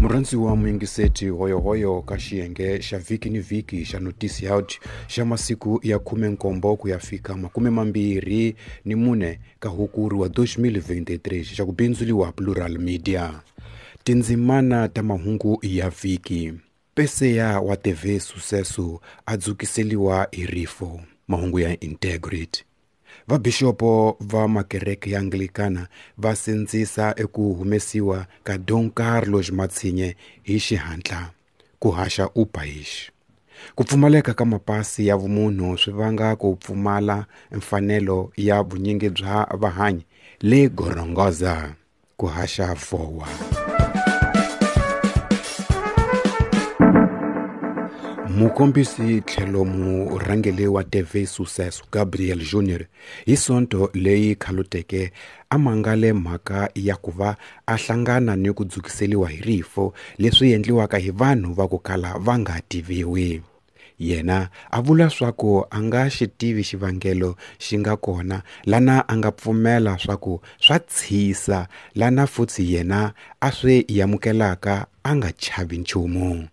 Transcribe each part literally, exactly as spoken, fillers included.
Murhandziwa muyingiseti hoyohoyo ka xiyenge xa vhiki ni vhiki xa Notice Out xa masiku ya khume nkombo ku ya fika makume mambirhi ni mune ka Hukuri wa twenty twenty-three xa ku bindzuriwa Plural Media. Tindzimana ta mahungu ya vhiki. Peseya wa T V Sucesso a dzukiseliwa hi rifo. Mahungu ya Integrity. Vabishopo va makereke ya Anglikana va sindzisa eku humesiwa ka Dom Carlos Matsinhe hi xihatla ku haxa O País. Ku pfumaleka ka mapasi ya vumunhu swi vanga ku pfumala mfanelo ya vunyingi bya vahanyi le Gorongosa ku haxa Vowa. Mukombisi tlhelo murhangeri wa T V Sucesso Gabriel Junior hi Sonto leyi khaluteke a mangale mhaka ya ku va a hlangana ni ku dzukiseliwa hi rifo leswi endliwaka hi vanhu va ku kala va nga tiviwi. Yena a vula swaku a nga xi tivi xivangelo xi nga kona lana a nga pfumela swaku swa tshisa lana futhi yena a swi amukelaka a nga chavi nchumu.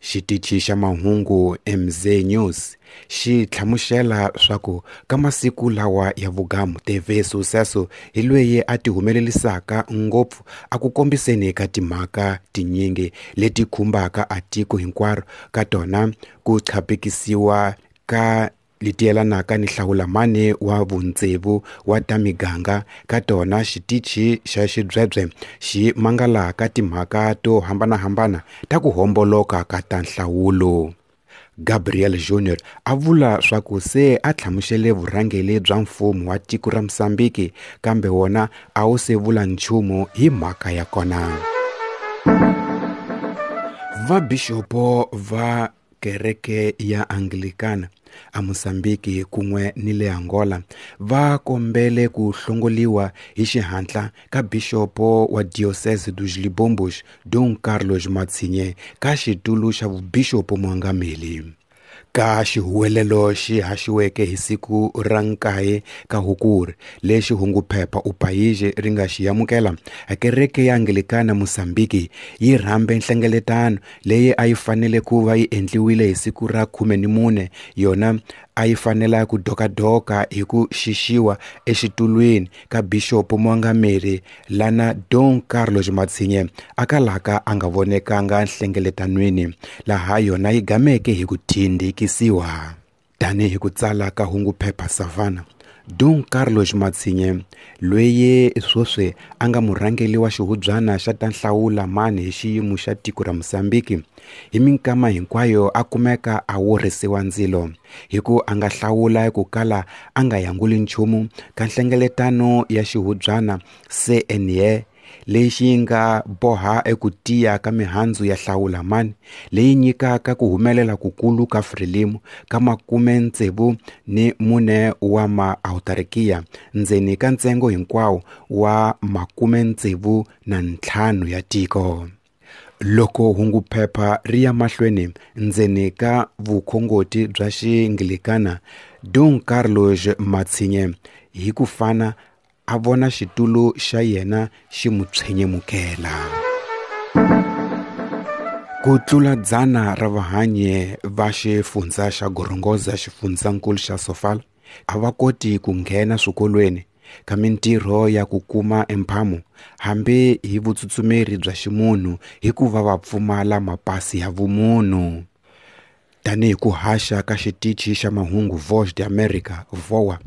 Xitichi xa mahungu M Z News xi hlamusela swaku ka masiku lawa ya vugamu T V Sucesso hi loyi a ti humelelisaka ngopfu a ku kombiseni ka timhaka tinyingi leti khumbaka a tiko hinkwaro ka tona ku chapekisiwa ka leti yelanaka ni hlawulamani wa vuntsevu wa ta miganga ka tona xitichi xa xidzwebye xi mangalaka timhaka to hambanahambana ta ku homboloka ka ta nhlawulo. Gabriel Junior a vula swaku se a hlamusele vurhangeri bya mfumo wa tiko ra Mozambique kambe wona a wu se vula nchumu hi mhaka ya kona. Vabishopo va kereke ya Anglikana a Mozambique kun'we ni le Angola va kombele ku hlongoliwa hi xihatla ka bishopo wa Diocese dos Libombos Dom Carlos Matsinhe ka xitulu xa vubishopo muangameli. Ka xihuwelelo xi haxiweke hi siku ra nkaye ka Hukuri lexi hunguphepha O País ri nga xi amukela, kereke ya Anglikana Mozambique yi rhambe nhlengeletano leyi a yi fanele ku va yi endliwile hi siku ra khume ni mune yona a yi fanela ku dokadoka hi ku xixiwa exitulwini ka bishopo muangameri lana Dom Carlos Matsinhe a kalaka a nga vonekanga nhlengeletanweni laha yona yi gameke hi ku tindikisiwa. Tanihi ku tsala ka hunguphepha Savannah, Dom Carlos Matsinhe loyi sweswi a nga murhangeri wa xihubyana xa ta nhlawula mani hi xiyimo xa tiko ra Mozambique hi minkama hinkwayo a kumeka a worhisiwa ndzilo hi ku a nga hlawula ku kala a nga yanguli nchumu ka nhlengeletano ya xihubyana C N E lexi nga boha eku tiya ka mihandzu ya hlawula mani leyi nyikaka ku humelela kukulu ka Frelimo ka makume ntsevu ni mune wa maautarkiya ndzeni ka ntsengo hinkwawo wa makume ntsevu na ntlhanu ya tiko. Loko hunguphepha ri ya mahlweni ndzeni ka vukhongoti bya Xianglikana, Dom Carlos Matsinhe hi ku fana a vona xitulu xa yena xi mu tshenyemukela. Ku tlula dzana ra vahanyi va xifundza xa Gorongosa xifundzankulu xa Sofala a va koti ku nghena swikolweni ka mintirho ya ku kuma emphamo hambi hi vutsutsumeri bya ximunhu hikuva va pfumala mapasi ya vumunhu. Tanihi ku haxa ka xitichi xa mahungu Voz de America Vowa,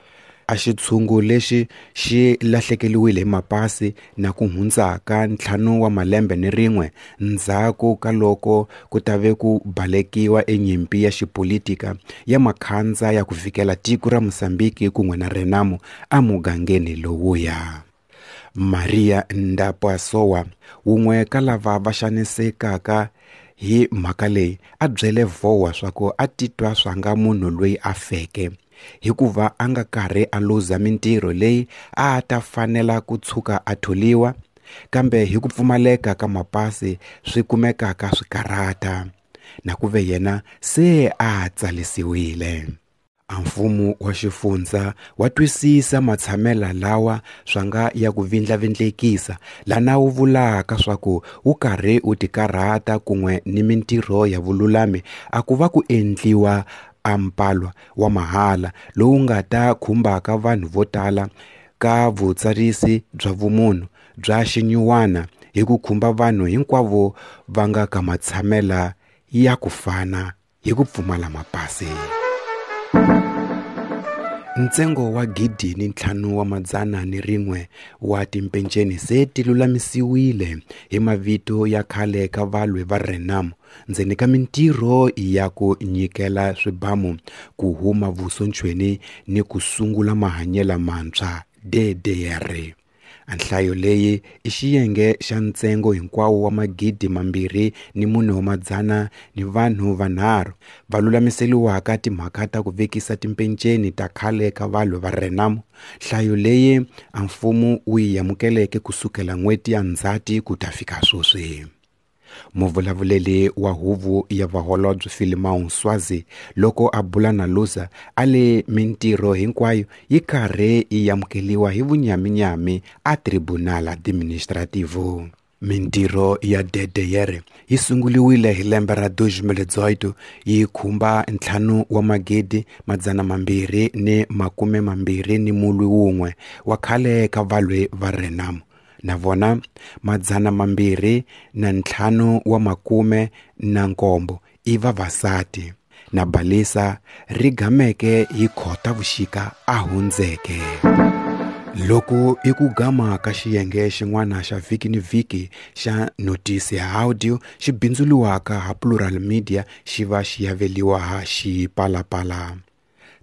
a xitshungu lexi xi lahlekeliwile hi mapasi na ku hundza ka ntlhanu wa malembe ni rin'we ndzhaku ka loko ku tave ku balekiwa enyimpi ya xipolitika ya makhandza ya ku vikela tiko ra Mozambique kun'we na Renamo emugangeni lowuya. Maria Ndapasowa wun'we ka lava va xanisekaka hi mhaka leyi a byele Vowa swaku a titwa swanga munhu loyi a feke hikuva a nga karhi a luza mintirho leyi a ta fanela ku tshuka a tholiwa kambe hi ku pfumaleka ka mapasi swi kumekaka swi karata na ku ve yena se a tsalisiwile. A mfumo wa xifundza wa twisisa matshamela lawa swa nga ya ku vindlavindlekisa lana wu vulaka swa ku wu karhi wu tikarhata kun'we ni mintirho ya vululami a ku va ku endliwa a mpalwa wa mahala lowu nga ta khumbaka vanhu vo tala ka vutsarisi bya vumunhu bya xinyuwana hi ku khumba vanhu hinkwavo va nga ka matshamela ya ku fana hi ku pfumala mapasi. Ntsengo wa gidi ni ntlhanu wa madzana ni rin'we wa timpenceni se ti lulamisiwile hi mavito ya khale ka valwi va Renamo ndzeni ka mintirho ya ku nyikela swibamu ku huma vusontshweni ni ku sungula mahanyelo mantshwa D D R. Nhlayo leyi i xiyenge xa ntsengo hinkwawo wa magidi mambirhi ni mune wa madzana ni vanhu vanharhu va lulamiseliwaka timhaka ta ku vekisa timpenceni ta khale ka valwi va Renamo. Nhlayo leyi a mfumo wu yi amukeleke kusukela n'hweti ya Ndzhati ku ta fika sweswi. Muvulavuleli wa huvo ya vaholobye Philemon Swazi loko a bula na Lusa a le mintirho hinkwayo yi karhi yi amukeliwa hi vunyaminyami a Tribunal Administrativo. Mintirho ya D D R yi sunguliwile hi lembe ra dois mil e dezoito yi khumba ntlhanu wa magidi madzana mambirhi ni makume mambirhi ni mulwi wun'we wa khale ka valwi va Renamo na vona madzana mambirhi na ntlhanu wa makume na nkombo i vavasati na balisa ri gameke hi Khotavuxika a hundzeke. Loko i ku gama ka xiyenge xin'wana xa vhiki ni vhiki xa notisi ya audio xi bindzuriwaka ha Plural Media xi va xi yaveliwa ha Xipalapala.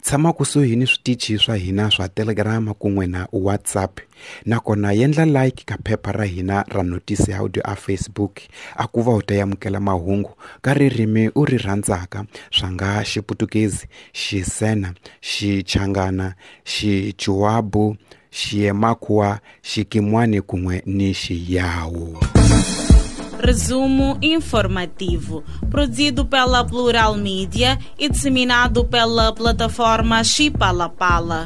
Tshama kusuhi ni switichi swa hina swa Telegram kun'we na WhatsApp nakona yendla like ka phepha ra hina ra notisi audio a Facebook a ku va u ta amukela mahungu ka ririmi u ri rhandzaka swa nga Xiputukezi, Xisena, Xichangana, Xichuabu, Xiemakhuwa, Xikimwani kun'we ni Xiyawu. Resumo informativo, produzido pela Plural Mídia e disseminado pela plataforma Xipalapala.